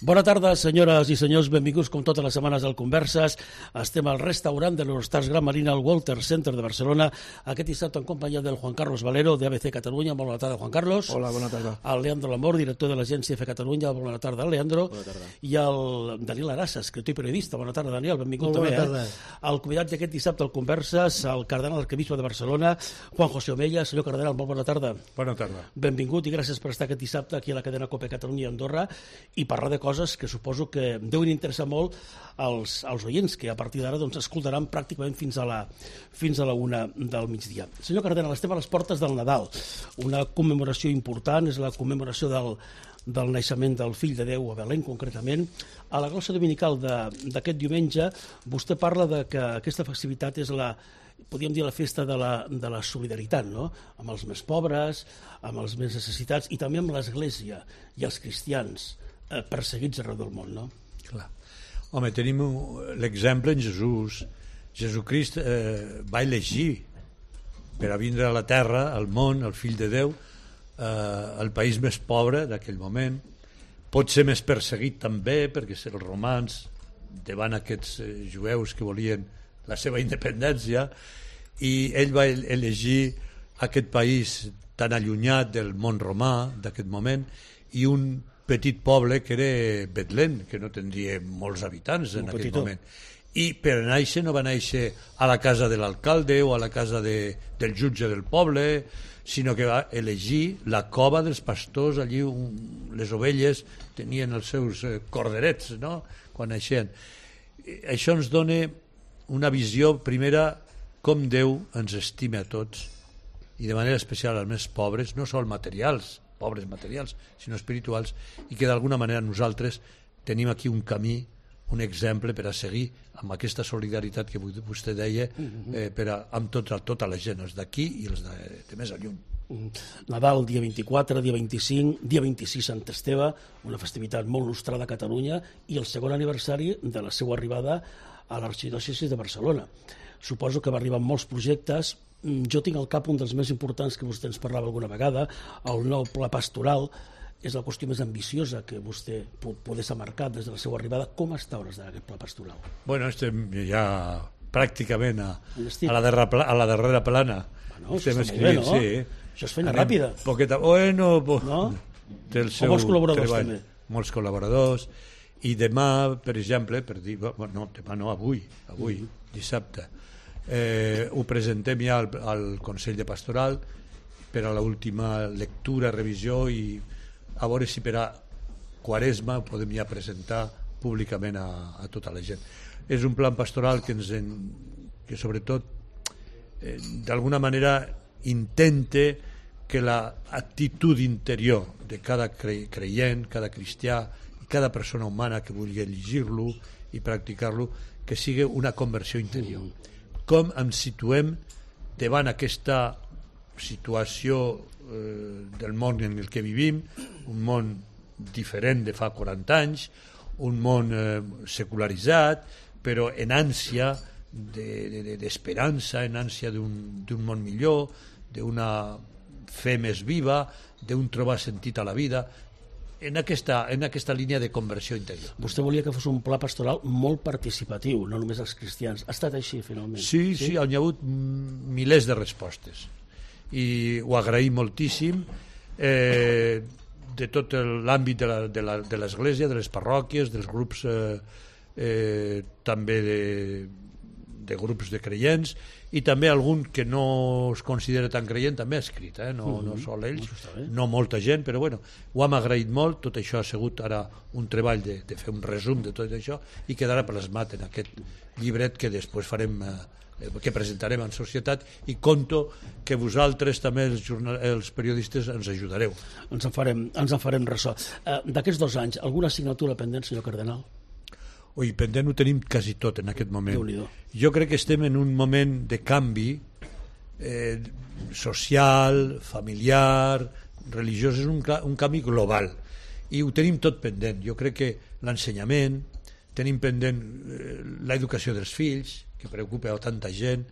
Bona tarda, senyores i senyors, benvinguts com totes les setmanes al Converses. Estem al restaurant de l'Eurostars Gran Marina al Walter Center de Barcelona, aquest dissabte en companyia del Juan Carlos Valero, d'ABC Catalunya. Molt bona tarda, Juan Carlos. Hola, bona tarda. El Leandro Lamor, director de l'agència F Catalunya. Bona tarda, Leandro. Bona tarda. I el Daniel Arassa, escriptor i periodista. Bona tarda, Daniel, benvingut Molt també. bona tarda. El convidat d'aquest dissabte al Converses, el cardenal arquebisbe de Barcelona, Juan José Omella. Senyor cardenal, molt bona tarda. Bona tarda. Benvingut i gràcies per estar aquest dissabte aquí a la cadena COPE Catalunya i Andorra i parlar de coses que suposo que deuen interessar molt als oients, que a partir d'ara escoltaran pràcticament fins a la 1 del migdia. Senyor cardenal, estem a les portes del Nadal, una commemoració important, és la commemoració del naixement del fill de Déu a Belén, concretament. A la glossa dominical d'aquest diumenge, vostè parla de que aquesta festivitat és podríem dir la festa de la solidaritat, no? Amb els més pobres, amb els més necessitats i també amb l'Església i els cristians perseguits arreu del món, no? Clar. Home, tenim l'exemple en Jesús. Jesucrist va elegir per a vindre a la terra, al món, el fill de Déu, el país més pobre d'aquell moment, pot ser més perseguit també perquè els romans davant aquests jueus que volien la seva independència, i ell va elegir aquest país tan allunyat del món romà d'aquest moment i un petit poble que era Betlem, que no tindria molts habitants en aquell moment. I per néixer no va néixer a la casa de l'alcalde o a la casa del jutge del poble, sinó que va elegir la cova dels pastors. Allí les ovelles tenien els seus corderets, no?, quan naixien. Això ens dona una visió primera com Déu ens estima a tots i de manera especial als més pobres, no sols materials, pobres materials, sinó espirituals, i que d'alguna manera nosaltres tenim aquí un camí, un exemple per a seguir amb aquesta solidaritat que vostè deia, amb tota la gent, els d'aquí i els de més lluny. Nadal, dia 24, dia 25, dia 26 Sant Esteve, una festivitat molt nostrada a Catalunya, i el segon aniversari de la seva arribada a l'arxidiòcesi de Barcelona. Suposo que va arribar amb molts projectes. Jo tinc al cap un dels més importants que vostè ens parlava alguna vegada, el nou pla pastoral. És la qüestió més ambiciosa que vostè poder s'ha marcat des de la seva arribada. Com està a hores d'ara aquest pla pastoral? Bueno, estem ja pràcticament a la darrera plana. Bueno, això està molt bé, no? Sí. Això és feina ràpida. Bueno, no? Té el seu molts col·laboradors treball. També. Molts col·laboradors. I demà, per exemple, avui, dissabte, ho presentem ja al Consell de Pastoral per a l'última lectura, revisió, i a veure si per a Quaresma ho podem ja presentar públicament a tota la gent. És un plan pastoral que sobretot d'alguna manera intenta que l'actitud interior de cada creient, cada cristià i cada persona humana que vulgui llegir-lo i practicar-lo, que sigui una conversió interior. Com ens situem davant aquesta situació del món en el que vivim, un món diferent de fa 40 anys, un món secularitzat, però en ànsia d'esperança, en ànsia d'un món millor, d'una fe més viva, d'un trobar sentit a la vida, en aquesta línia de conversió interior. Vostè volia que fos un pla pastoral molt participatiu, no només els cristians. Ha estat així, finalment? Sí, hi ha hagut milers de respostes i ho agraïm moltíssim, de tot l'àmbit de l'Església, de les parròquies, dels grups, també de grups de creients, i també algun que no es considera tan creient també ha escrit, no sol ells, no molta gent, però bueno, ho hem agraït molt. Tot això ha sigut ara un treball de fer un resum de tot això i quedarà plasmat en aquest llibret que després farem, que presentarem en societat, i conto que vosaltres també, els periodistes, ens ajudareu. Ens en farem ressò. D'aquests 2 anys, alguna assignatura pendent, senyor cardenal? Ui, pendent ho tenim quasi tot en aquest moment. Jo crec que estem en un moment de canvi social, familiar, religiós. És un canvi global i ho tenim tot pendent. Jo crec que l'ensenyament, tenim pendent l'educació dels fills, que preocupa a tanta gent,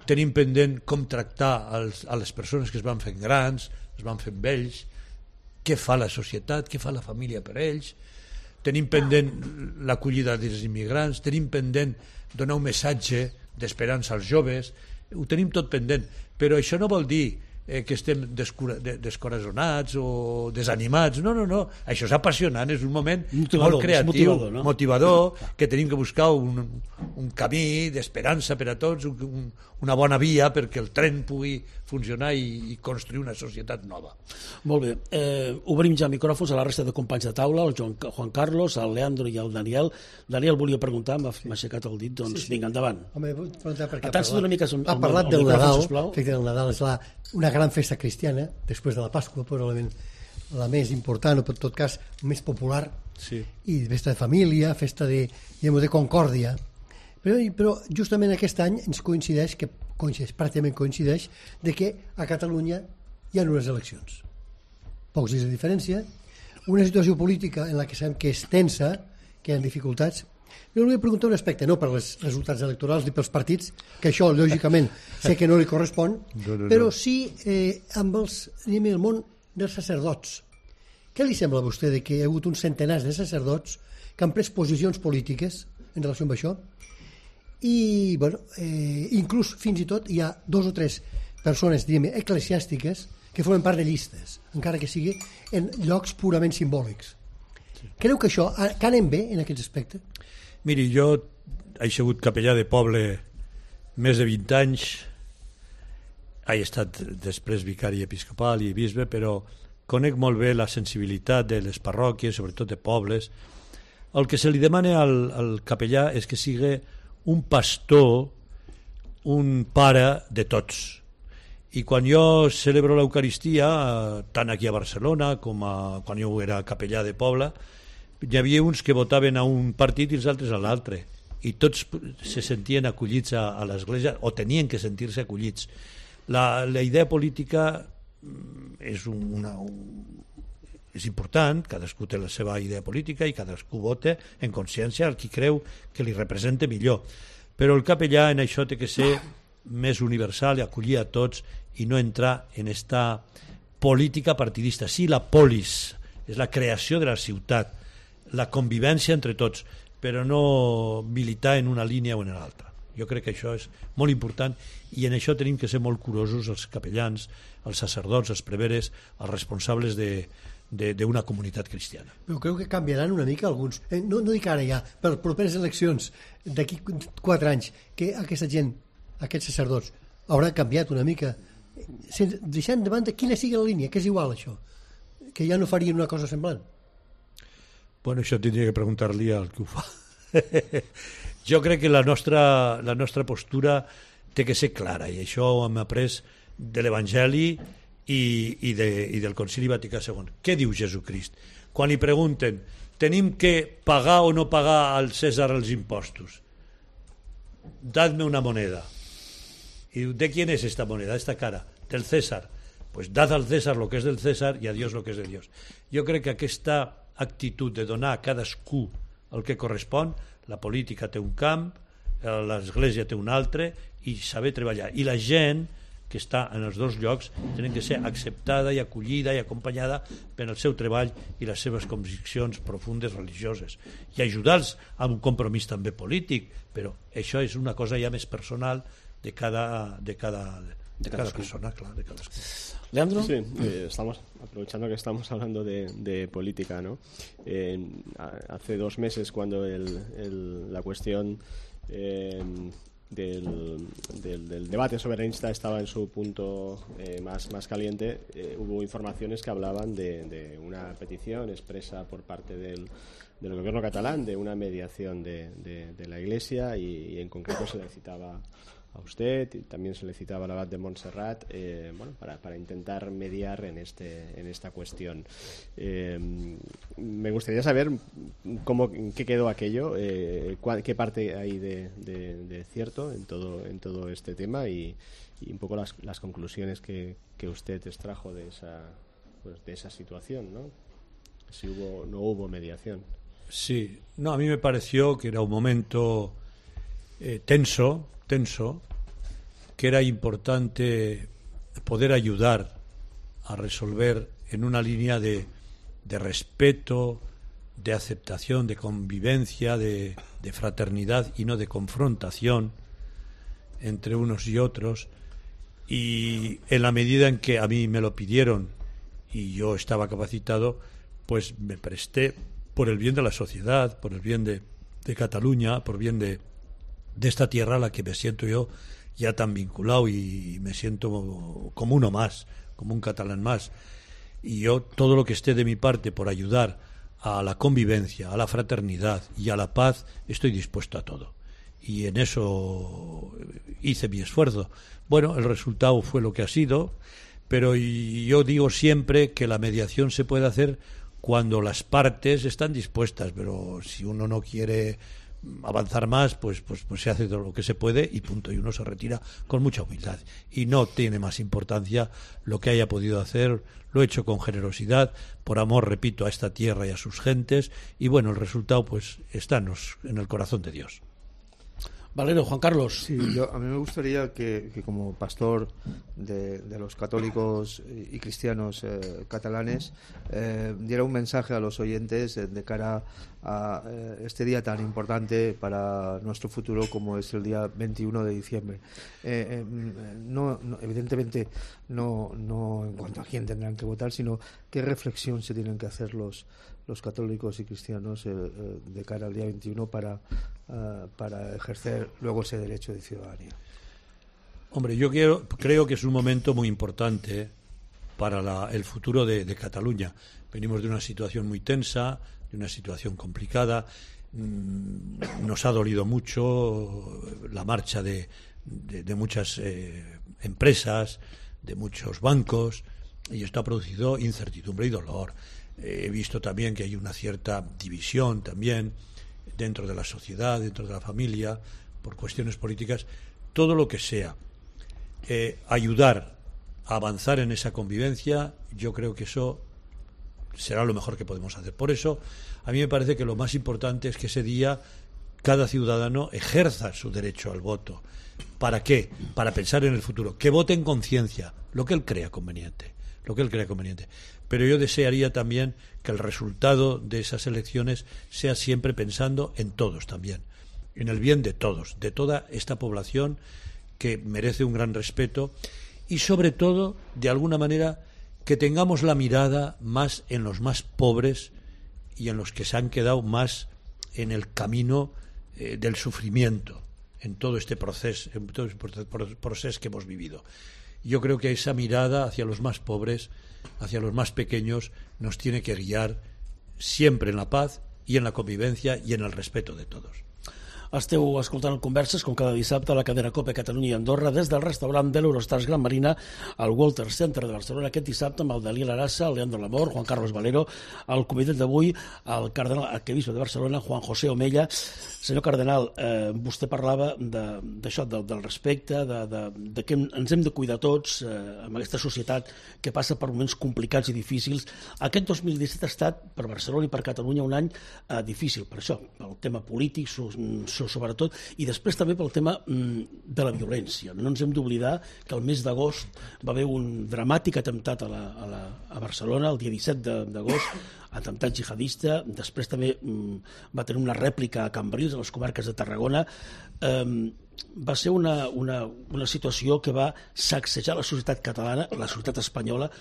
tenim pendent com tractar a les persones que es van fent grans, es van fent vells, què fa la societat, què fa la família per ells. tenim pendent l'acollida dels immigrants, tenim pendent donar un missatge d'esperança als joves, ho tenim tot pendent, però això no vol dir que estem descorazonats o desanimats, no, això és apassionant, és un moment molt creatiu, motivador, que tenim que buscar un camí d'esperança per a tots, una bona via perquè el tren pugui funcionar i construir una societat nova. Molt bé, obrim ja micròfons a la resta de companys de taula, el Juan Carlos, el Leandro i el Daniel. Daniel volia preguntar, m'ha aixecat el dit, doncs vinga, endavant. Home, vull preguntar perquè ha parlat del Nadal, el Nadal és una gran festa cristiana, després de la Pasqua, probablement la més important, o per tot cas més popular, i festa de família, festa de concòrdia, però justament aquest any ens coincideix, pràcticament coincideix, de que a Catalunya hi ha unes eleccions. Pocs dies de diferència, una situació política en la que sabem que és tensa, que hi ha dificultats. Jo li vull preguntar un aspecte, no per els resultats electorals ni pels partits, que això lògicament sé que no li correspon, però sí amb el món dels sacerdots. Què li sembla a vostè de que hi ha hagut uns centenars de sacerdots que han pres posicions polítiques en relació amb això? I, inclús fins i tot hi ha 2 o 3 persones, eclesiàstiques, que formen part de llistes, encara que sigui en llocs purament simbòlics. Creu que això, que anem bé en aquest aspecte? Miri, jo he sigut capellà de poble més de 20 anys, he estat després vicari episcopal i bisbe, però conec molt bé la sensibilitat de les parròquies, sobretot de pobles. El que se li demana al capellà és que sigui un pastor, un pare de tots. I quan jo celebro l'Eucaristia, tant aquí a Barcelona com quan jo era capellà de poble, hi havia uns que votaven a un partit i els altres a l'altre, i tots se sentien acollits a l'Església, o tenien que sentir-se acollits. La idea política és important, cadascú té la seva idea política i cadascú vota en consciència el qui creu que li representa millor, però el capellà en això té que ser més universal i acollir a tots i no entrar en esta política partidista. Sí, la polis és la creació de la ciutat, la convivència entre tots, però no militar en una línia o en l'altra. Jo crec que això és molt important i en això tenim que ser molt curosos els capellans, els sacerdots, els preveres, els responsables d'una comunitat cristiana. Però creu que canviaran una mica alguns, no dic ara ja, per properes eleccions d'aquí 4 anys, que aquesta gent, aquests sacerdots, hauran canviat una mica, deixant de banda quina sigui la línia, que és igual això, que ja no farien una cosa semblant. Bueno, això tindria que preguntar-li al que ho fa. Jo crec que la nostra postura té que ser clara, i això ho hem après de l'Evangeli i del Concili Vaticà II. Què diu Jesucrist? Quan li pregunten, tenim que pagar o no pagar al César els impostos? Dadme una moneda. Y diu, ¿de quién es esta moneda, esta cara? Del César. Pues dad al César lo que es del César y a Dios lo que es de Dios. Jo crec que aquesta actitud de donar a cadascú el que correspon, la política té un camp, l'Església té un altre, i saber treballar. I la gent que està en els dos llocs tenen que ser acceptada i acollida i acompanyada per el seu treball i les seves conviccions profundes religioses. I ajudar-los amb un compromís també polític, però això és una cosa ja més personal de cada persona, claro, de cadascú. Leandro. Sí, estamos aprovechando que estamos hablando de política, ¿no? Hace 2 meses, cuando la cuestión del debate soberanista estaba en su punto más caliente, hubo informaciones que hablaban de una petición expresa por parte del gobierno catalán de una mediación de la Iglesia, y en concreto se le citaba a usted y también se le citaba al abad de Montserrat, para intentar mediar en esta cuestión. Me gustaría saber qué quedó aquello, qué parte hay de cierto en todo este tema, y un poco las conclusiones que usted extrajo de esa situación, ¿no? Si no hubo mediación. Sí, no, a mí me pareció que era un momento tenso, que era importante poder ayudar a resolver en una línea de respeto, de aceptación, de convivencia, de fraternidad y no de confrontación entre unos y otros. Y en la medida en que a mí me lo pidieron y yo estaba capacitado, pues me presté por el bien de la sociedad, por el bien de Cataluña, por el bien de esta tierra a la que me siento yo ya tan vinculado y me siento como uno más, como un catalán más. Y yo, todo lo que esté de mi parte por ayudar a la convivencia, a la fraternidad y a la paz, estoy dispuesto a todo. Y en eso hice mi esfuerzo. Bueno, el resultado fue lo que ha sido, pero yo digo siempre que la mediación se puede hacer cuando las partes están dispuestas, pero si uno no quiere avanzar más, pues se hace todo lo que se puede y punto, y uno se retira con mucha humildad y no tiene más importancia lo que haya podido hacer. Lo he hecho con generosidad, por amor, repito, a esta tierra y a sus gentes, y bueno, el resultado pues está en el corazón de Dios. Valero, Juan Carlos. Sí, a mí me gustaría que como pastor de los católicos y cristianos catalanes diera un mensaje a los oyentes de cara a este día tan importante para nuestro futuro como es el día 21 de diciembre. Evidentemente no en cuanto a quién tendrán que votar, sino qué reflexión se tienen que hacer los católicos y cristianos de cara al día 21 para ejercer luego ese derecho de ciudadanía. Hombre, yo creo que es un momento muy importante para el futuro de Cataluña. Venimos de una situación muy tensa, de una situación complicada. Nos ha dolido mucho la marcha de muchas empresas, de muchos bancos, y esto ha producido incertidumbre y dolor. He visto también que hay una cierta división también dentro de la sociedad, dentro de la familia, por cuestiones políticas. Todo lo que sea ayudar a avanzar en esa convivencia, yo creo que eso será lo mejor que podemos hacer. Por eso, a mí me parece que lo más importante es que ese día cada ciudadano ejerza su derecho al voto. ¿Para qué? Para pensar en el futuro. Que vote en conciencia, lo que él crea conveniente. Pero yo desearía también que el resultado de esas elecciones sea siempre pensando en todos también, en el bien de todos, de toda esta población que merece un gran respeto, y sobre todo, de alguna manera, que tengamos la mirada más en los más pobres y en los que se han quedado más en el camino del sufrimiento, en todo este proceso que hemos vivido. Yo creo que esa mirada hacia los más pobres, hacia los más pequeños, nos tiene que guiar siempre en la paz y en la convivencia y en el respeto de todos. Esteu escoltant Converses, com cada dissabte, a la cadena COPE Catalunya i Andorra, des del restaurant de l'Eurostars Gran Marina al Walter Center de Barcelona, aquest dissabte amb el Dalí Larassa, el Leandro Lamor, Juan Carlos Valero, el convidat d'avui, el cardenal arquebisbe de Barcelona, Juan José Omella. Senyor cardenal, vostè parlava d'això, del respecte, de que ens hem de cuidar tots amb aquesta societat que passa per moments complicats i difícils. Aquest 2017 ha estat per Barcelona i per Catalunya un any difícil, per això, pel tema polític, sobretot, i després també pel tema de la violència. No ens hem d'oblidar que el mes d'agost va haver un dramàtic atemptat a Barcelona, el dia 17 d'agost, atemptat jihadista. Després també va tenir una rèplica a Cambrils, a les comarques de Tarragona. Va ser una situació que va sacsejar la societat catalana, la societat espanyola.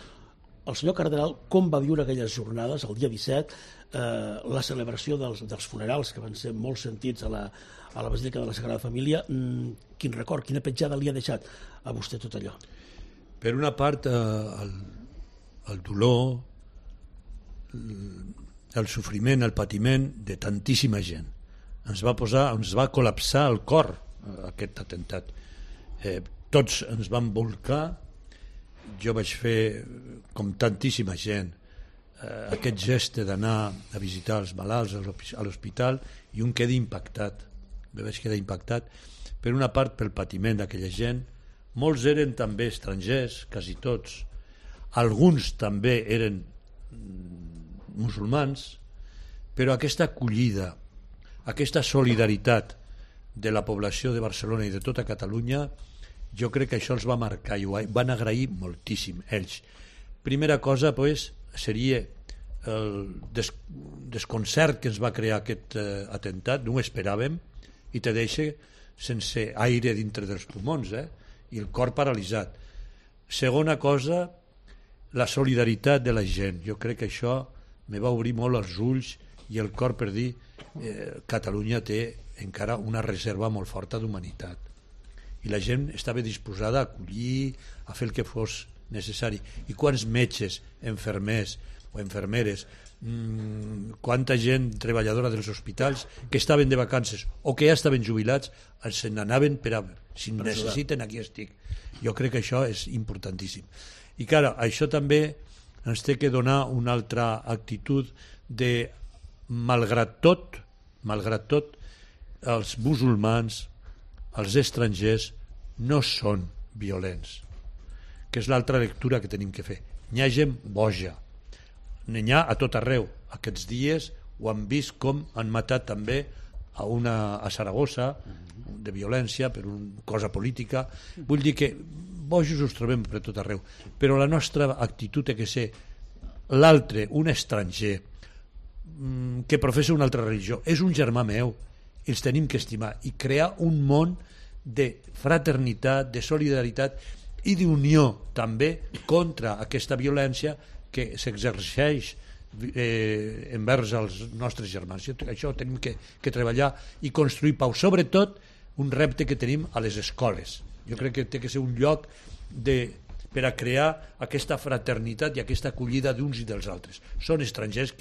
El senyor cardenal, com va viure aquelles jornades, el dia 17, la celebració dels funerals, que van ser molt sentits a la Basílica de la Sagrada Família? Quin record, quina petjada li ha deixat a vostè tot allò? Per una part, el dolor, el sofriment, el patiment de tantíssima gent. Ens va col·lapsar el cor aquest atemptat. Tots ens vam volcar. Jo vaig fer, com tantíssima gent, aquest gest d'anar a visitar els malalts a l'hospital, i un queda impactat. Me vaig quedar impactat, per una part pel patiment d'aquella gent. Molts eren també estrangers, quasi tots. Alguns també eren musulmans, però aquesta acollida, aquesta solidaritat de la població de Barcelona i de tota Catalunya, jo crec que això els va marcar i ho van agrair moltíssim ells. Primera cosa, pues, seria desconcert que ens va crear aquest atemptat, no ho esperàvem, i te deixa sense aire dintre dels pulmons, i el cor paralitzat. Segona cosa, la solidaritat de la gent. Jo crec que això me va obrir molt els ulls i el cor per dir Catalunya té encara una reserva molt forta d'humanitat, i la gent estava disposada a acollir, a fer el que fos necessari. I quants metges, infermers o infermeres, quanta gent treballadora dels hospitals que estaven de vacances o que ja estaven jubilats, se n'anaven per a, si em necessiten, aquí estic. Jo crec que això és importantíssim. I clar, això també ens té que donar una altra actitud de, malgrat tot, els musulmans, els estrangers, no són violents, que és l'altra lectura que tenim que fer. N'hi ha gent boja, n'hi ha a tot arreu. Aquests dies ho han vist com han matat també a Saragossa, de violència per una cosa política. Vull dir que bojos us trobem per tot arreu, però la nostra actitud ha de ser l'altre, un estranger que professa una altra religió, és un germà meu, els tenim que estimar i crear un món de fraternitat, de solidaritat i d'unió també contra aquesta violència que s'exerceix envers els nostres germans. Això tenim que treballar i construir pau, sobretot un repte que tenim a les escoles. Jo crec que té que ser un lloc per a crear aquesta fraternitat i aquesta acollida d'uns i dels altres. Són estrangers,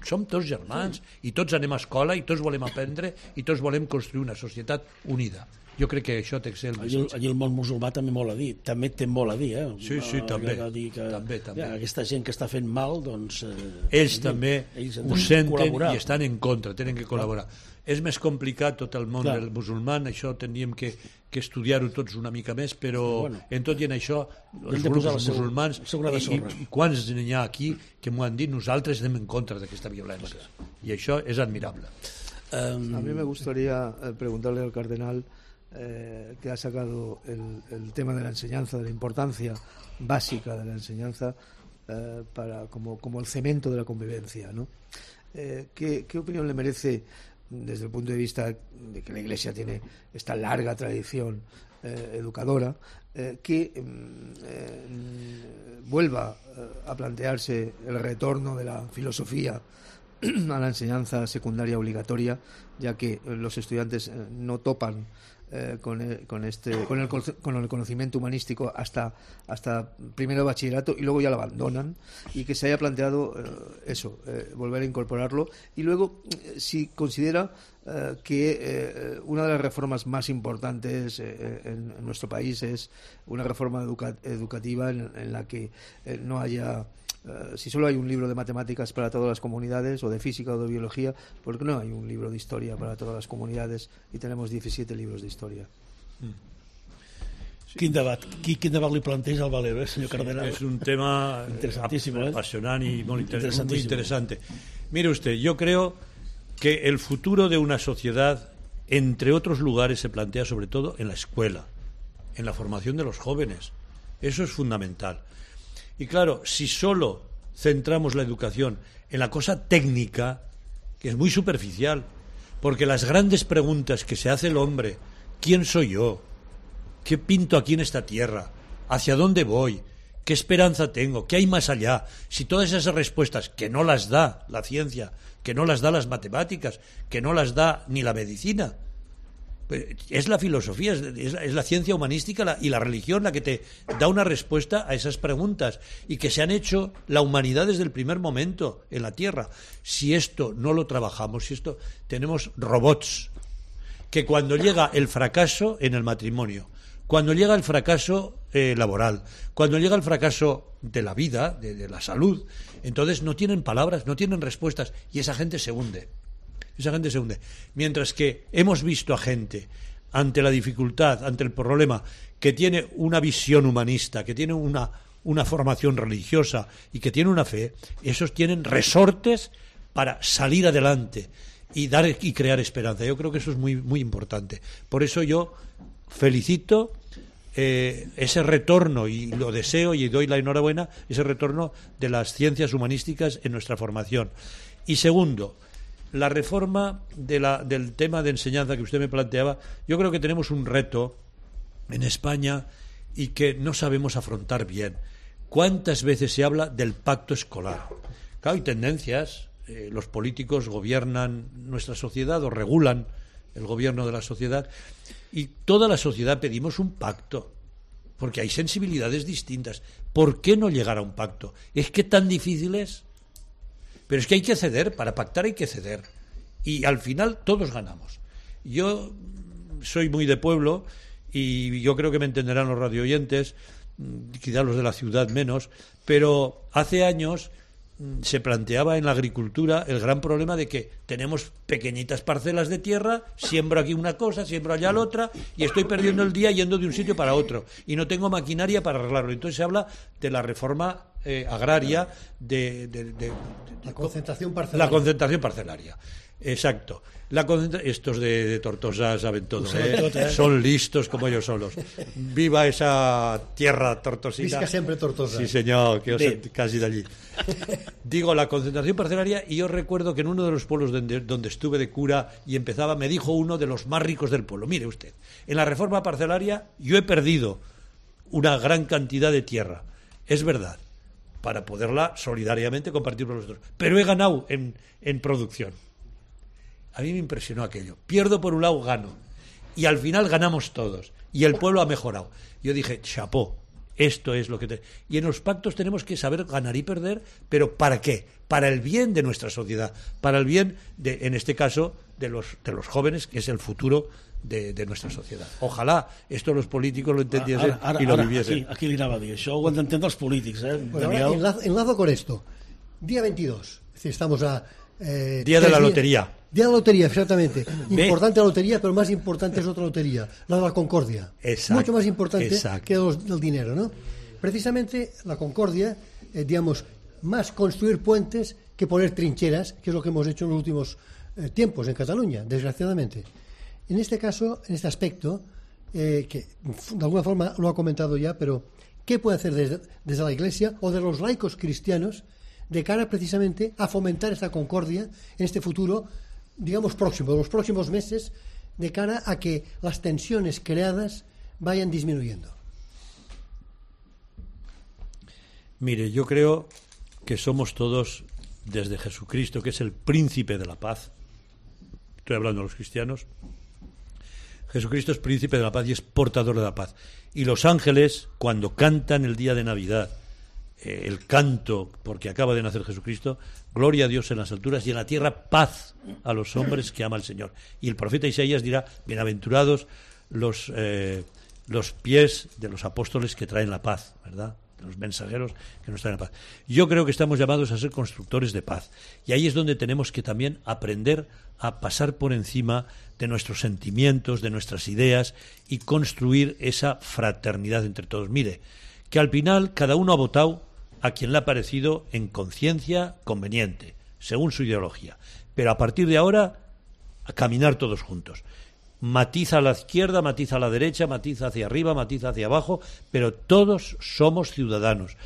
som tots germans, i tots anem a escola i tots volem aprendre i tots volem construir una societat unida. Jo crec que això té que ser el missatge. Allí el món musulmà també molt a dir, també té molt a dir, Sí, també. també. Aquesta gent que està fent mal, doncs... Ells també ho senten i estan en contra, tenen que col·laborar. És més complicat tot el món del musulman, això tindríem que estudiar-ho tots una mica més, però en tot i en això els grups musulmans i quants n'hi ha aquí que m'ho han dit, nosaltres anem en contra d'aquesta violència, i això és admirable. A mí me gustaría preguntarle al cardenal que ha sacado el tema de la enseñanza, de la importancia básica de la enseñanza como el cemento de la convivencia, ¿no? ¿Qué opinión le merece desde el punto de vista de que la Iglesia tiene esta larga tradición educadora, que vuelva a plantearse el retorno de la filosofía a la enseñanza secundaria obligatoria, ya que los estudiantes no topan con el conocimiento humanístico hasta primero de bachillerato y luego ya lo abandonan, y que se haya planteado volver a incorporarlo, y luego si considera que una de las reformas más importantes en nuestro país es una reforma educativa en la que no haya si solo hay un libro de matemáticas para todas las comunidades, o de física o de biología, ¿por qué no hay un libro de historia para todas las comunidades y tenemos 17 libros de historia? Sí. Quin debat li planteja al Valero, senyor Cardenal? Es un tema apasionante y muy interesante. Mire usted, yo creo que el futuro de una sociedad, entre otros lugares, se plantea sobre todo en la escuela, en la formación de los jóvenes. Eso es fundamental. Y claro, si solo centramos la educación en la cosa técnica, que es muy superficial, porque las grandes preguntas que se hace el hombre, ¿quién soy yo? ¿Qué pinto aquí en esta tierra? ¿Hacia dónde voy? ¿Qué esperanza tengo? ¿Qué hay más allá? Si todas esas respuestas, que no las da la ciencia, que no las da las matemáticas, que no las da ni la medicina, es la filosofía, es la ciencia humanística y la religión la que te da una respuesta a esas preguntas, y que se han hecho la humanidad desde el primer momento en la Tierra. Si esto no lo trabajamos, tenemos robots que cuando llega el fracaso en el matrimonio, cuando llega el fracaso laboral, cuando llega el fracaso de la vida, de la salud, entonces no tienen palabras, no tienen respuestas, y esa gente se hunde. Mientras que hemos visto a gente ante la dificultad, ante el problema, que tiene una visión humanista, que tiene una formación religiosa y que tiene una fe, esos tienen resortes para salir adelante y dar y crear esperanza. Yo creo que eso es muy, muy importante. Por eso yo felicito ese retorno, y lo deseo y doy la enhorabuena, ese retorno de las ciencias humanísticas en nuestra formación. Y segundo, la reforma del tema de enseñanza que usted me planteaba. Yo creo que tenemos un reto en España y que no sabemos afrontar bien. ¿Cuántas veces se habla del pacto escolar? Claro, hay tendencias, los políticos gobiernan nuestra sociedad o regulan el gobierno de la sociedad, y toda la sociedad pedimos un pacto, porque hay sensibilidades distintas. ¿Por qué no llegar a un pacto? ¿Es que tan difícil es? Pero es que hay que ceder, para pactar hay que ceder, y al final todos ganamos. Yo soy muy de pueblo, y yo creo que me entenderán los radioyentes, quizá los de la ciudad menos, pero hace años se planteaba en la agricultura el gran problema de que tenemos pequeñitas parcelas de tierra, siembro aquí una cosa, siembro allá la otra, y estoy perdiendo el día yendo de un sitio para otro, y no tengo maquinaria para arreglarlo. Entonces se habla de la reforma agraria, la concentración parcelaria. La concentración parcelaria. Exacto. Estos de Tortosa saben todo, son listos como ellos solos. Viva esa tierra tortosina. Visca siempre Tortosa. Sí, señor, que casi de allí. Digo, la concentración parcelaria, y yo recuerdo que en uno de los pueblos donde estuve de cura y empezaba, me dijo uno de los más ricos del pueblo: mire usted, en la reforma parcelaria yo he perdido una gran cantidad de tierra, es verdad, para poderla solidariamente compartir con los otros, pero he ganado en producción. A mí me impresionó aquello. Pierdo por un lado, gano. Y al final ganamos todos. Y el pueblo ha mejorado. Yo dije, chapó, esto es lo que... Y en los pactos tenemos que saber ganar y perder, pero ¿para qué? Para el bien de nuestra sociedad, para el bien, en este caso, de los jóvenes, que es el futuro de nuestra sociedad. Ojalá esto los políticos lo entendiesen y lo viviesen. Aquí li anava a dir, això ho han d'entendre els polítics, Bueno, ahora enlazo con esto. Día 22, es decir, estamos a... Día de la lotería. Día de la lotería, exactamente. Importante la lotería, pero más importante es otra lotería, la de la concordia. Exacto. Mucho más importante que del dinero, ¿no? Precisamente la concordia, digamos, más construir puentes que poner trincheras, que es lo que hemos hecho en los últimos tiempos en Cataluña, desgraciadamente. En este caso, en este aspecto, que de alguna forma lo ha comentado ya, pero ¿qué puede hacer desde la Iglesia o de los laicos cristianos de cara precisamente a fomentar esta concordia en este futuro, digamos, próximo, de los próximos meses, de cara a que las tensiones creadas vayan disminuyendo? Mire, yo creo que somos todos, desde Jesucristo, que es el príncipe de la paz, estoy hablando de los cristianos, Jesucristo es príncipe de la paz y es portador de la paz. Y los ángeles, cuando cantan el día de Navidad, el canto, porque acaba de nacer Jesucristo, gloria a Dios en las alturas y en la tierra paz a los hombres que ama el Señor. Y el profeta Isaías dirá, bienaventurados los pies de los apóstoles que traen la paz, ¿verdad? De los mensajeros que nos traen la paz. Yo creo que estamos llamados a ser constructores de paz. Y ahí es donde tenemos que también aprender a pasar por encima de nuestros sentimientos, de nuestras ideas, y construir esa fraternidad entre todos. Mire, que al final cada uno ha votado a quien le ha parecido en conciencia conveniente, según su ideología. Pero a partir de ahora, a caminar todos juntos. Matiza a la izquierda, matiza a la derecha, matiza hacia arriba, matiza hacia abajo, pero todos somos ciudadanos,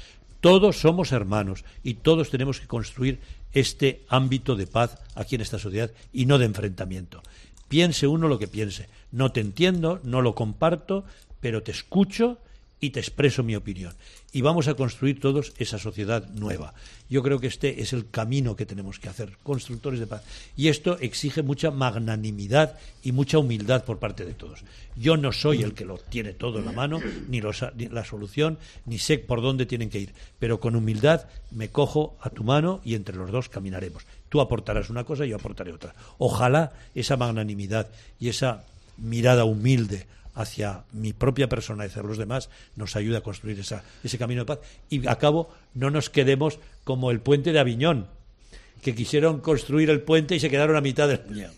todos somos hermanos y todos tenemos que construir este ámbito de paz aquí en esta sociedad y no de enfrentamiento. Piense uno lo que piense. No te entiendo, no lo comparto, pero te escucho y te expreso mi opinión. Y vamos a construir todos esa sociedad nueva. Yo creo que este es el camino que tenemos que hacer, constructores de paz. Y esto exige mucha magnanimidad y mucha humildad por parte de todos. Yo no soy el que lo tiene todo en la mano, ni la solución, ni sé por dónde tienen que ir. Pero con humildad me cojo a tu mano y entre los dos caminaremos. Tú aportarás una cosa y yo aportaré otra. Ojalá esa magnanimidad y esa mirada humilde hacia mi propia persona y hacia los demás nos ayuda a construir ese camino de paz. Y a cabo, no nos quedemos como el puente de Aviñón, que quisieron construir el puente y se quedaron a mitad del...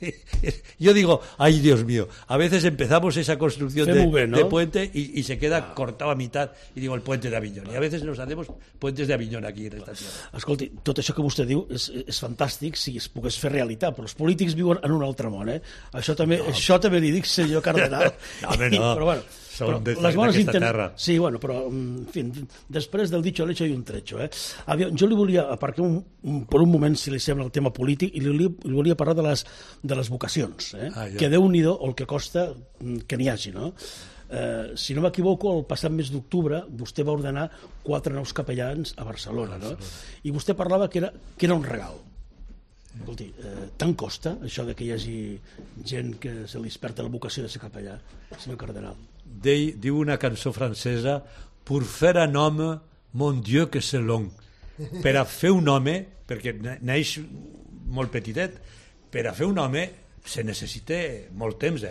Yo digo, ay Dios mío, a veces empezamos esa construcción de puente y se queda cortado a mitad, y digo el puente de Aviñón, y a veces nos hacemos puentes de Aviñón aquí en esta tierra. Escolti, tot això que vostè diu és fantàstic si es pogués fer realitat, però els polítics viuen en un altre món, Això també li dic, senyor cardenal. No, home, no. Però bueno, són d'aquesta terra. Sí, bueno, però, en fi, després del dicho al hecho hay un trecho. Jo li volia, perquè per un moment, si li sembla el tema polític, i li volia parlar de les vocacions, que Déu-n'hi-do el que costa que n'hi hagi, no? Si no m'equivoco, el passat mes d'octubre vostè va ordenar 4 nous capellans a Barcelona, no? I vostè parlava que era un regal. Escolti, tant costa això de que hi hagi gent que se li desperta la vocació de ser capellà, senyor cardenal? Diu una cançó francesa: pour faire un homme, mon Dieu que c'est long. Per a fer un home, perquè neix molt petitet, per a fer un home se necessita molt temps,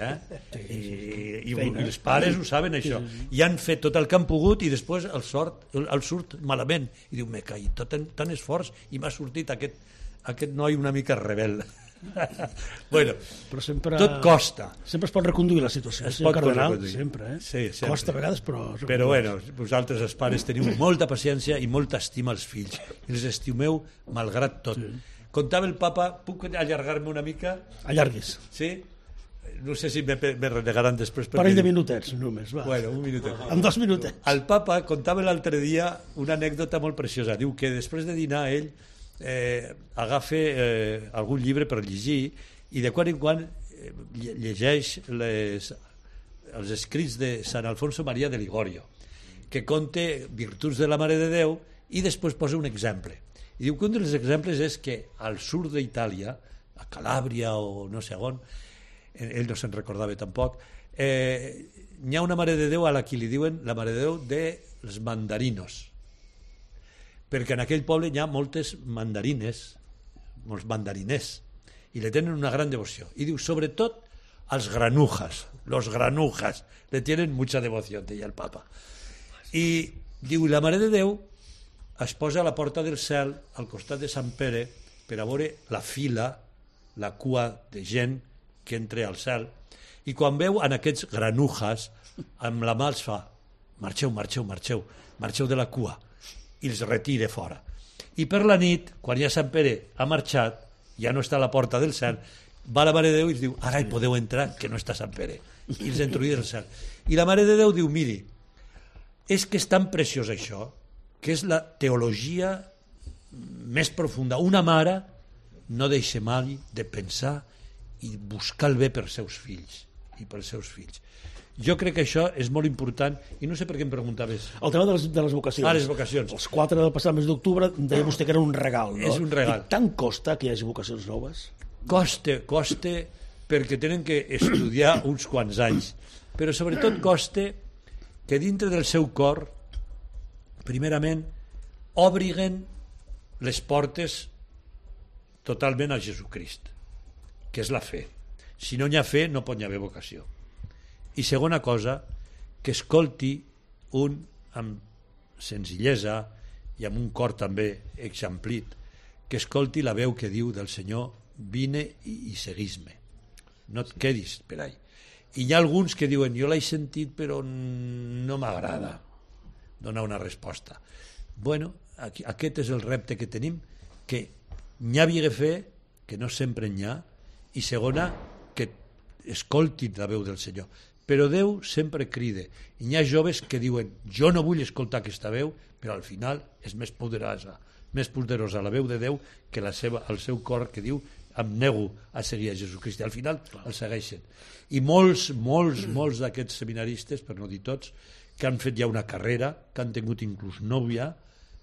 i els pares ho saben, això. I han fet tot el que han pogut i després el surt malament. I diu, me caig, tant esforç i m'ha sortit aquest noi una mica rebel. Bueno, però tot costa. Sempre es pot reconduir la situació, senyor cardenal, sempre. Sí, costa a vegades, però... Però bueno, vosaltres els pares teniu molta paciència i molta estima als fills. I els estimeu malgrat tot. Contava el papa, puc allargar-me una mica? Allarguis. Sí? No sé si me renegaran després. Parell de minutets, només, va. Bueno, un minutet. En 2 minutets. El papa contava l'altre dia una anècdota molt preciosa. Diu que després de dinar ell agafa algun llibre per llegir i de quan en quan llegeix els escrits de Sant Alfonso Maria de Ligorio, que conta virtuts de la Mare de Déu i després posa un exemple. I diu que un dels exemples és que al sud d'Itàlia, a Calàbria o no sé on, ell no se'n recordava tampoc, hi ha una Mare de Déu a la que li diuen la Mare de Déu dels mandarinos, perquè en aquell poble hi ha moltes mandarines, molts mandariners, i le tenen una gran devoció. I diu, sobretot, als granujas, los granujas, le tienen mucha devoció, deia el papa. I diu, la Mare de Déu es posa a la porta del cel, al costat de Sant Pere, per a veure la fila, la cua de gent que entra al cel, i quan veu en aquests granujas, amb la mà els fa, marxeu, marxeu, marxeu, marxeu de la cua, i els retira fora. I per la nit, quan ja Sant Pere ha marxat, ja no està a la porta del cel, va la Mare de Déu i diu, ara hi podeu entrar, que no està Sant Pere, i els introduïa al cel. I la Mare de Déu diu, miri, és que és tan preciós això, que és la teologia més profunda. Una mare no deixa mai de pensar i buscar el bé per seus fills i pels seus fills. Jo crec que això és molt important i no sé per què em preguntaves. El tema de les vocacions. Les vocacions. Els 4 del passat mes d'octubre deia vostè que era un regal, no? És un regal. I tant costa que hi hagi vocacions noves? Costa perquè tenen que estudiar uns quants anys, però sobretot costa que dintre del seu cor, primerament, obriguen les portes totalment a Jesucrist, que és la fe. Si no hi ha fe, no pot haver vocació. I segona cosa, que escolti un amb senzillesa i amb un cor també eixamplit, que escolti la veu que diu del Senyor, vine i seguís-me, no et quedis per ahí. I hi ha alguns que diuen, jo l'he sentit però no m'agrada donar una resposta. Bueno, aquest és el repte que tenim, que n'hi havia fe, que no sempre n'hi ha, i segona, que escoltin la veu del Senyor. Però Déu sempre crida. I hi ha joves que diuen, jo no vull escoltar aquesta veu, però al final és més poderosa la veu de Déu que el seu cor que diu, em nego a seguir a Jesucrist. I al final el segueixen. I molts d'aquests seminaristes, per no dir tots, que han fet ja una carrera, que han tingut inclús nòvia,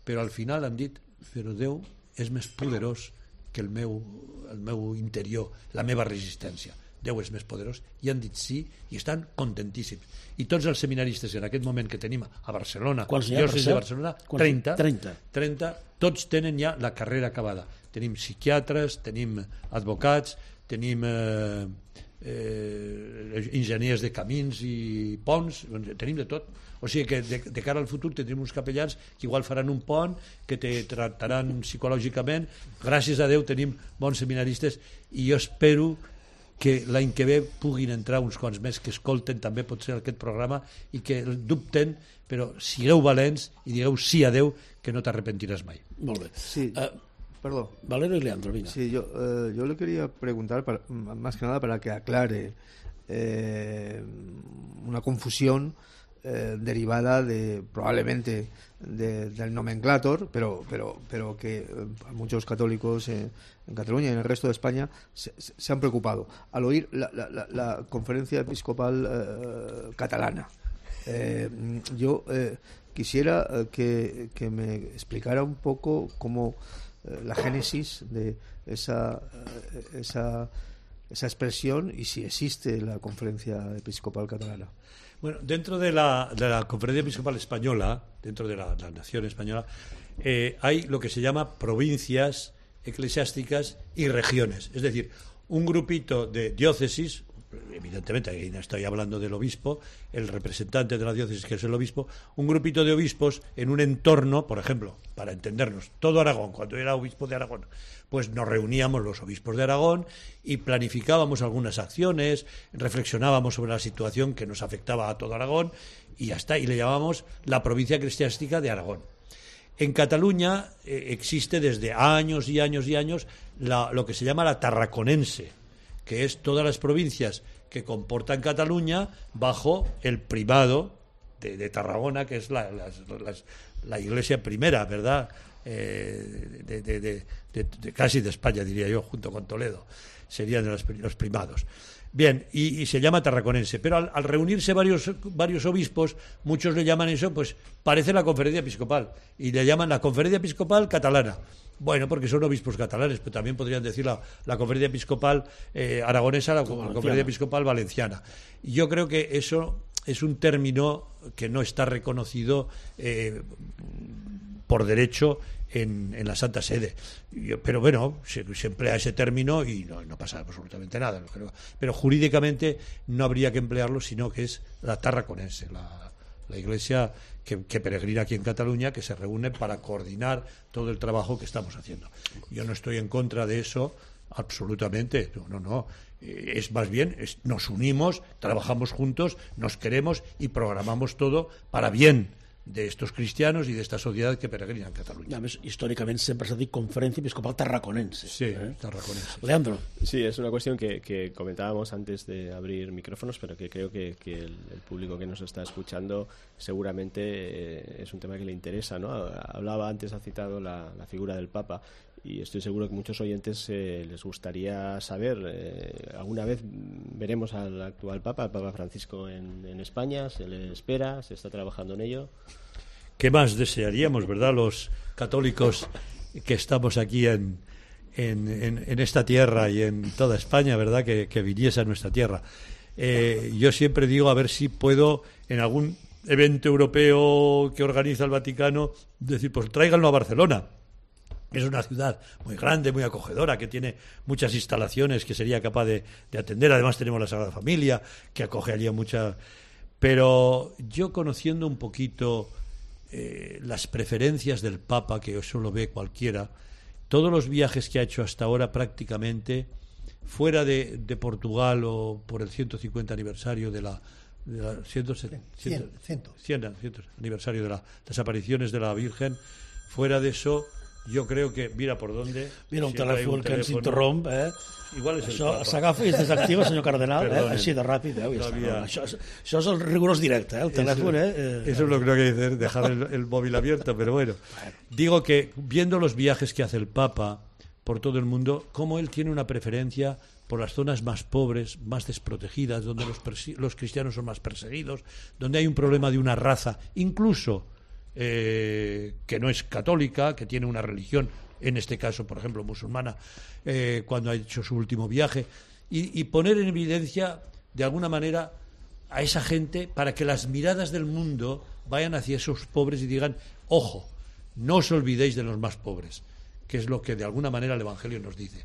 però al final han dit, però Déu és més poderós que el meu interior, la meva resistència. Déu és més poderós, i han dit sí i estan contentíssims. I tots els seminaristes en aquest moment que tenim a Barcelona, diòcesis de Barcelona, 30, tots tenen ja la carrera acabada. Tenim psiquiatres, tenim advocats, tenim enginyers de camins i ponts, tenim de tot. O sigui que de cara al futur tindrem uns capellans que igual faran un pont, que te tractaran psicològicament. Gràcies a Déu tenim bons seminaristes i jo espero que l'any que ve puguin entrar uns quants més que escolten també potser aquest programa i que dubten, però sigueu valents i digueu sí a Déu, que no t'arrepentiràs mai. Molt bé. Sí, perdón. Valero y Leandro, venga. Sí, yo le quería preguntar, más que nada para que aclare una confusión derivada probablemente del nomenclator, pero que muchos católicos en Cataluña y en el resto de España se han preocupado al oír la conferencia episcopal catalana. Yo quisiera que me explicara un poco cómo la génesis de esa expresión y si existe la conferencia episcopal catalana. Bueno, dentro de la Conferencia Episcopal Española, dentro de la nación española, hay lo que se llama provincias eclesiásticas y regiones. Es decir, un grupito de diócesis, evidentemente, ahí no estoy hablando del obispo, el representante de la diócesis, que es el obispo, un grupito de obispos en un entorno, por ejemplo, para entendernos, todo Aragón, cuando era obispo de Aragón, pues nos reuníamos los obispos de Aragón y planificábamos algunas acciones, reflexionábamos sobre la situación que nos afectaba a todo Aragón y ya está, y le llamábamos la provincia eclesiástica de Aragón. En Cataluña existe desde años y años y años lo que se llama la tarraconense, que es todas las provincias que comportan Cataluña bajo el primado de Tarragona, que es la iglesia primera, ¿verdad?, casi de España, diría yo, junto con Toledo. Serían los primados. Bien, y se llama tarraconense, pero al reunirse varios obispos, muchos le llaman eso, pues parece la conferencia episcopal, y le llaman la conferencia episcopal catalana. Bueno, porque son obispos catalanes, pero también podrían decir la conferencia episcopal aragonesa, la conferencia episcopal valenciana. Y yo creo que eso es un término que no está reconocido por derecho en la Santa Sede. Pero bueno, se emplea ese término y no pasa absolutamente nada. Pero jurídicamente no habría que emplearlo, sino que es la tarraconense, la iglesia que peregrina aquí en Cataluña, que se reúne para coordinar todo el trabajo que estamos haciendo. Yo no estoy en contra de eso, absolutamente, no. Es más bien, nos unimos, trabajamos juntos, nos queremos y programamos todo para bien de estos cristianos y de esta sociedad que peregrina en Cataluña. A més, històricament sempre s'ha dit Conferència Episcopal Tarraconense. Sí, tarraconense. Leandro. Sí, es una cuestión que comentábamos antes de abrir micrófonos, pero que creo que el público que nos está escuchando seguramente es un tema que le interesa, ¿no? Hablaba antes, ha citado la figura del Papa, y estoy seguro que muchos oyentes les gustaría saber, ¿alguna vez veremos al actual Papa, el Papa Francisco, en España? ¿Se le espera? ¿Se está trabajando en ello? ¿Qué más desearíamos, verdad, los católicos que estamos aquí en esta tierra y en toda España, verdad, que viniese a nuestra tierra? Yo siempre digo, a ver si puedo, en algún evento europeo que organiza el Vaticano, decir, pues tráiganlo a Barcelona. Es una ciudad muy grande, muy acogedora, que tiene muchas instalaciones que sería capaz de atender. Además tenemos la Sagrada Familia, que acoge allí a muchas. Pero yo, conociendo un poquito las preferencias del Papa, que eso lo ve cualquiera, todos los viajes que ha hecho hasta ahora prácticamente, fuera de Portugal o por el 150 aniversario de la 100 aniversario de las apariciones de la Virgen, fuera de eso, jo crec que, mira per dónde... Mira un telèfon que ens interromp, Igual és això s'agafa i es desactiva, senyor Cardenal, així de ràpid, això és el rigorós directe, el telèfon, Eso es lo que no hay que hacer, dejar el móvil abierto, pero bueno. Digo que, viendo los viajes que hace el Papa por todo el mundo, cómo él tiene una preferencia por las zonas más pobres, más desprotegidas, donde los cristianos son más perseguidos, donde hay un problema de una raza, incluso que no es católica, que tiene una religión, en este caso, por ejemplo, musulmana, cuando ha hecho su último viaje, y poner en evidencia, de alguna manera, a esa gente para que las miradas del mundo vayan hacia esos pobres y digan, ojo, no os olvidéis de los más pobres, que es lo que de alguna manera el Evangelio nos dice.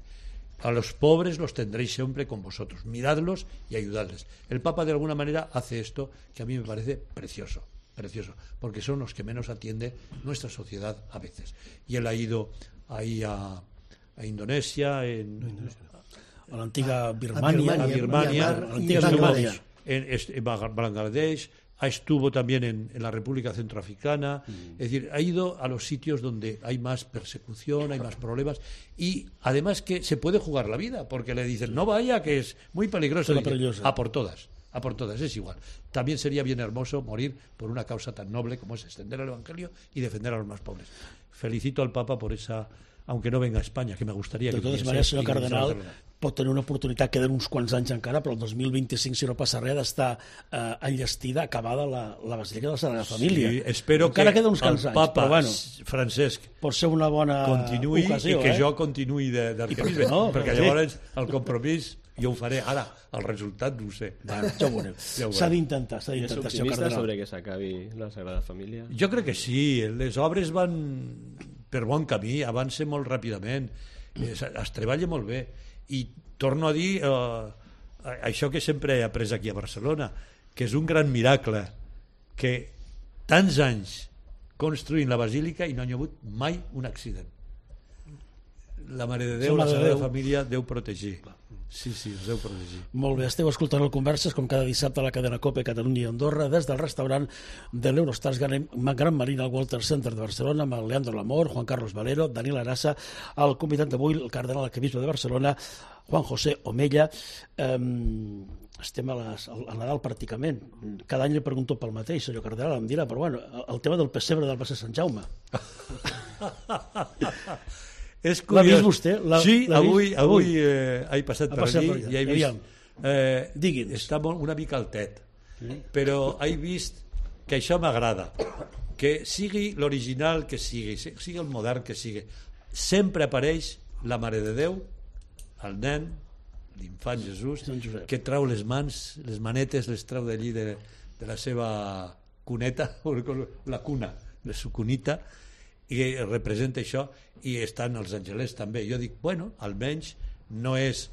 A los pobres los tendréis siempre con vosotros, miradlos y ayudadles. El Papa de alguna manera hace esto que a mí me parece precioso, porque son los que menos atiende nuestra sociedad a veces. Y él ha ido ahí a Indonesia, a la antigua Birmania, en Bangladesh, estuvo también en la República Centroafricana, es decir, ha ido a los sitios donde hay más persecución, hay más problemas, y además que se puede jugar la vida, porque le dicen, no vaya, que es muy peligroso. A por todas, es igual. También sería bien hermoso morir por una causa tan noble como es extender el Evangelio y defender a los más pobres. Felicito al Papa por esa, aunque no venga a España, que me gustaría que... De totes maneres, senyor Cardenal, pot tenir una oportunitat, queden uns quants anys encara, però el 2025, si no passa res, d'estar enllestida, acabada la Basílica de la Sagrada Família. Sí, espero encara que queda uns quants el Papa anys, però bueno, Francesc pot ser una bona continuï ocasió, i que jo continuï d'arquebisbe, perquè llavors el compromís jo ho faré. Ara, el resultat no ho sé. Bueno, ja ho veurem. S'ha d'intentar, ¿Es optimista sobre que s'acabi la Sagrada Família? Jo crec que sí, les obres van per bon camí, avancen molt ràpidament, es treballa molt bé, i torno a dir això que sempre he après aquí a Barcelona, que és un gran miracle que tants anys construint la basílica i no hi ha hagut mai un accident. La Mare de Déu, la Sagrada Família, Déu protegir. Sí, els deu protegir. Molt bé, esteu escoltant el Converses com cada dissabte a la cadena COPE Catalunya i Andorra des del restaurant de l'Eurostars Gran Marina al Walter Center de Barcelona amb el Leandro Lamor, Juan Carlos Valero, Daniel Arasa, el convidat d'avui, el cardenal arquebisbe de Barcelona, Juan José Omella. Estem al Nadal pràcticament. Cada any li pregunto pel mateix, senyor cardenal, em dirà, però bueno, el tema del pessebre del Passeig Sant Jaume. L'ha vist vostè? Sí, avui he passat per allí i he vist... Està una mica altet, però he vist que això m'agrada, que sigui l'original que sigui el modern que sigui. Sempre apareix la Mare de Déu, el nen, l'infant Jesús, que trau les mans, les manetes, les trau d'allí de la seva cuneta, la cuna, de su cunita, i representa això, i estan els angelets també. Jo dic, bueno, almenys no és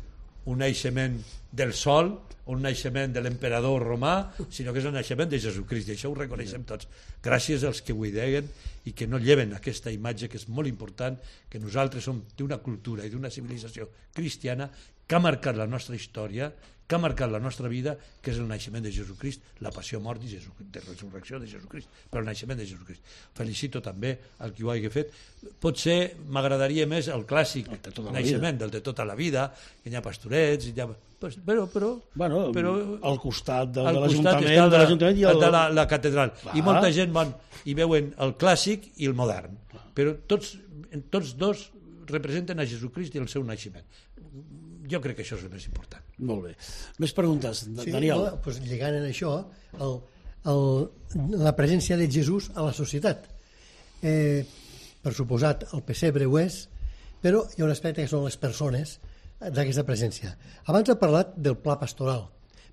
un naixement del sol o un naixement de l'emperador romà, sinó que és un naixement de Jesucrist, i això ho reconeixem tots. Gràcies als que ho ideguen i que no lleven aquesta imatge, que és molt important, que nosaltres som d'una cultura i d'una civilització cristiana que ha marcat la nostra història, que ha marcat la nostra vida, que és el naixement de Jesucrist, la passió, mort i de resurrecció de Jesucrist, però el naixement de Jesucrist. Felicito també al qui ho hagi fet. Potser m'agradaria més el clàssic naixement del de tota la vida, que hi ha pastorets, però al costat de l'Ajuntament i de la catedral. I molta gent van i veuen el clàssic i el modern, però tots dos representen a Jesucrist i el seu naixement. Jo crec que això és el més important. Molt bé. Més preguntes, Daniel? Sí, doncs lligant en això, la presència de Jesús a la societat. Per suposat, el pessebre ho és, però hi ha un aspecte que són les persones d'aquesta presència. Abans he parlat del pla pastoral,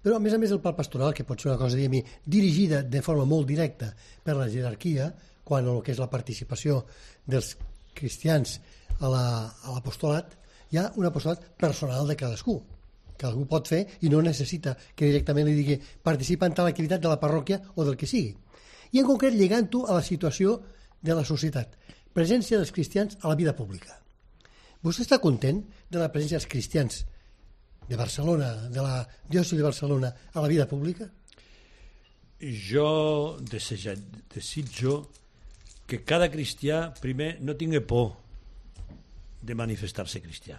però a més el pla pastoral, que pot ser una cosa dirigida de forma molt directa per la jerarquia, quan el que és la participació dels cristians a l'apostolat, hi ha un apostolat personal de cadascú que algú pot fer i no necessita que directament li digui participa en tal activitat de la parròquia o del que sigui. I en concret lligant-ho a la situació de la societat, presència dels cristians a la vida pública. Vostè està content de la presència dels cristians de Barcelona, de la diòcesi de Barcelona, a la vida pública? Jo desitjo que cada cristià primer no tingui por de manifestar-se cristià.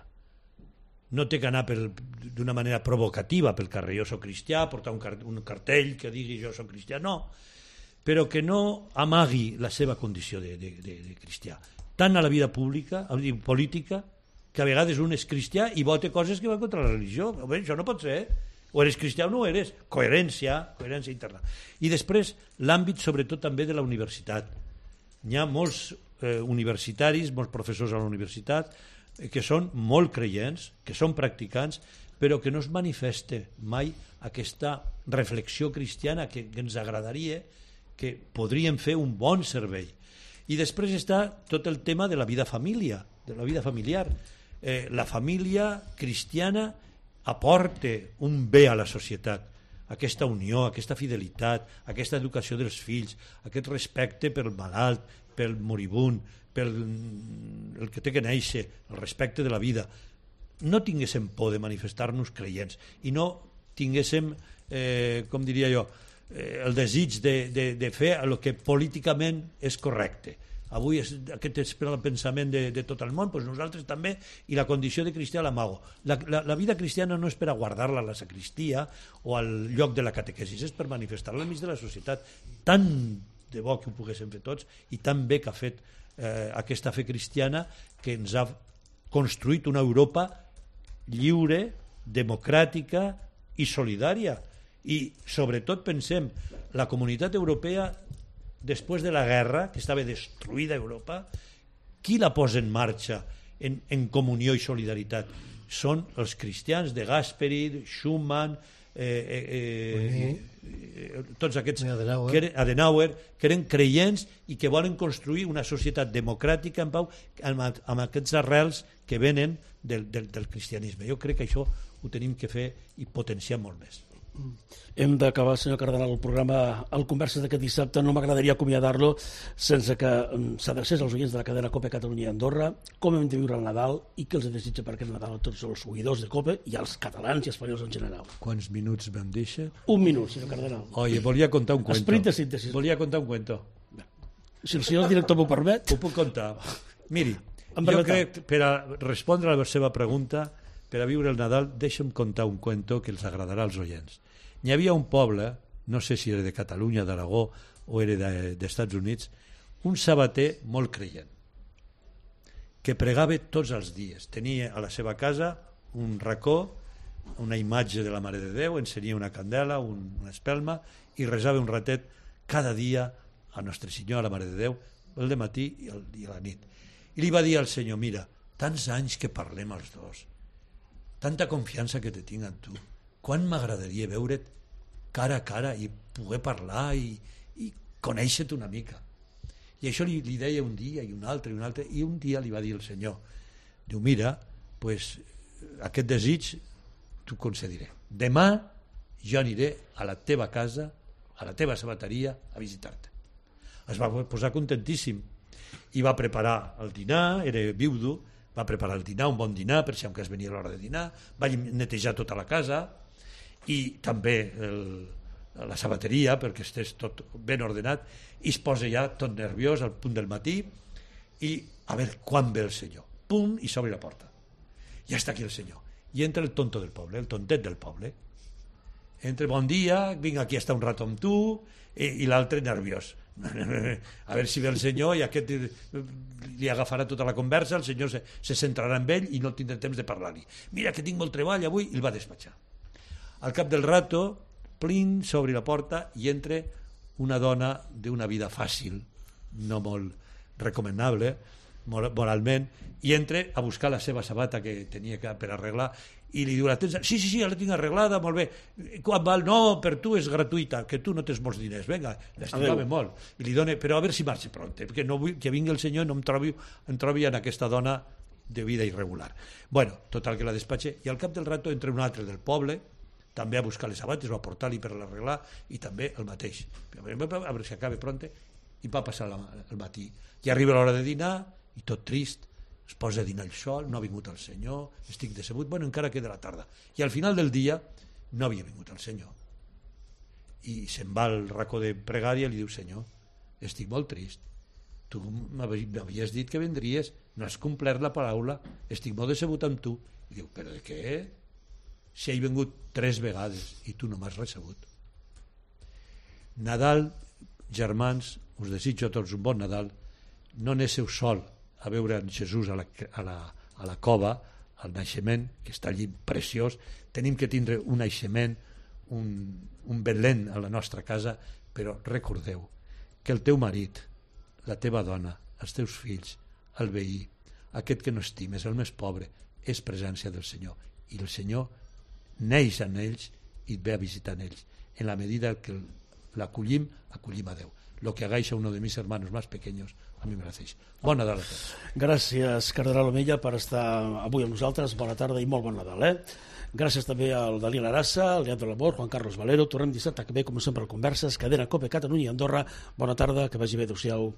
No té que anar d'una manera provocativa pel carrer, jo soc cristià, portar un cartell que digui jo soc cristià, no, però que no amagui la seva condició de cristià, tant a la vida pública, política, que a vegades un és cristià i vota coses que van contra la religió. Bé, això no pot ser, o eres cristià o no eres. Coherència interna. I després l'àmbit sobretot també de la universitat. Hi ha molts universitaris, molts professors a la universitat que són molt creients, que són practicants, però que no es manifesta mai aquesta reflexió cristiana que ens agradaria, que podríem fer un bon servei. I després està tot el tema de la vida familiar. La família cristiana aporta un bé a la societat, aquesta unió, aquesta fidelitat, aquesta educació dels fills, aquest respecte pel malalt, pel moribund, pel el que té que néixer, el respecte de la vida. No tinguéssim por de manifestar-nos creients i no tinguéssim, com diria jo, el desig de fer el que políticament és correcte. Avui aquest és el pensament de tot el món, doncs nosaltres també, i la condició de cristià l'amago. La vida cristiana no és per a guardar-la a la sacristia o al lloc de la catequesis, és per manifestar-la enmig de la societat. Tant de bo que ho poguéssim fer tots i tan bé que ha fet aquesta fe cristiana que ens ha construït una Europa lliure, democràtica i solidària. I sobretot pensem, la comunitat europea després de la guerra, que estava destruïda Europa, qui la posa en marxa en comunió i solidaritat? Són els cristians de Gasperi, Schumann, tots aquests, Adenauer, que eren creients i que volen construir una societat democràtica en pau amb aquests arrels que venen del cristianisme. Jo crec que això ho tenim que fer i potenciar molt més. Hem d'acabar, senyor Cardenal, el programa al Converses d'aquest dissabte. No m'agradaria acomiadar-lo sense que s'adrecés als oients de la cadena COPE Catalunya i Andorra com hem de viure el Nadal i què els desitja per aquest Nadal a tots els oïdors de COPE i als catalans i espanyols en general. Quants minuts me'n deixa? Un minut, senyor Cardenal. Oye, volia contar un cuento. Esperit de síntesi. Volia contar un cuento. Si el senyor director m'ho permet. Ho puc contar. Miri, jo crec, per a respondre a la seva pregunta, per a viure el Nadal, deixa'm contar un cuento que els agradarà als oients. Hi havia un poble, no sé si era de Catalunya, d'Aragó o era d'Estats Units, un sabater molt creient, que pregava tots els dies. Tenia a la seva casa un racó, una imatge de la Mare de Déu, encenia una candela, una espelma, i resava un ratet cada dia a Nostre Senyor, a la Mare de Déu, el dematí i a la nit. I li va dir al Senyor, mira, tants anys que parlem els dos, tanta confiança que te tinc en tu, quan m'agradaria veure't cara a cara i poder parlar i conèixer-te una mica. I això li deia un dia i un altre, i un dia li va dir el Senyor, diu, mira, pues, aquest desig t'ho concediré. Demà jo aniré a la teva casa, a la teva sabateria, a visitar-te. Es va posar contentíssim i va preparar el dinar, era viudo, va preparar el dinar, un bon dinar, per si encara venia l'hora de dinar, va netejar tota la casa, i també la sabateria perquè estés tot ben ordenat, i es posa ja tot nerviós al punt del matí i a veure quan ve el senyor, pum, i s'obre la porta, ja està aquí el senyor, i entra el tonto del poble, el tontet del poble, entra, bon dia, vinc aquí a estar un rato amb tu, i l'altre nerviós, a veure si ve el senyor i aquest li agafarà tota la conversa, el senyor se centrarà en ell i no tindrà temps de parlar-li, mira que tinc molt treball avui, i el va despatxar. Al cap del rato, plin, s'obre la porta i entra una dona d'una vida fàcil, no molt recomanable moralment, i entra a buscar la seva sabata que tenia per arreglar i li diu, sí, ja la tinc arreglada, molt bé, quan val? No, per tu és gratuïta, que tu no tens molts diners, vinga, l'estimava molt, i li dona, però a veure si marxa pront, perquè no vull que vingui el senyor i no em trobi en aquesta dona de vida irregular. Bueno, total que la despatxa, i al cap del rato entra un altre del poble, també a buscar les sabates o a portar-li per l'arreglar, i també el mateix, a veure si acaba pront, i va passar el matí, i arriba l'hora de dinar i tot trist, es posa a dinar el sol, no ha vingut el senyor, estic decebut, bueno, encara queda la tarda, i al final del dia no havia vingut el senyor, i se'n va al racó de pregària i li diu, senyor, estic molt trist, tu m'havies dit que vindries, no has complert la paraula, estic molt decebut amb tu, i diu, però de què? Si he vingut 3 vegades i tu no m'has recebut. Nadal, germans, us desitjo a tots un bon Nadal, no aneu sol a veure en Jesús a la cova, al naixement, que està allí preciós, tenim que tindre un naixement, un Belén a la nostra casa, però recordeu que el teu marit, la teva dona, els teus fills, el veí, aquest que no estimes, el més pobre, és presència del Senyor, i el Senyor neix en ells i ve a visitar en ells. En la medida que l'acollim, acollim a Déu. Lo que hagáis a uno de mis hermanos más pequeños, a mi me lo hacéis. Bon Nadal a tots. Gràcies, Cardenal Omella, per estar avui amb nosaltres. Bona tarda i molt bon Nadal. Gràcies també al Dalí Larassa, al Leandro Labor, Juan Carlos Valero. Tornem dissabte que ve, com sempre, al Converses, cadena COPE Catalunya i Andorra. Bona tarda, que vagi bé, adéu-siau.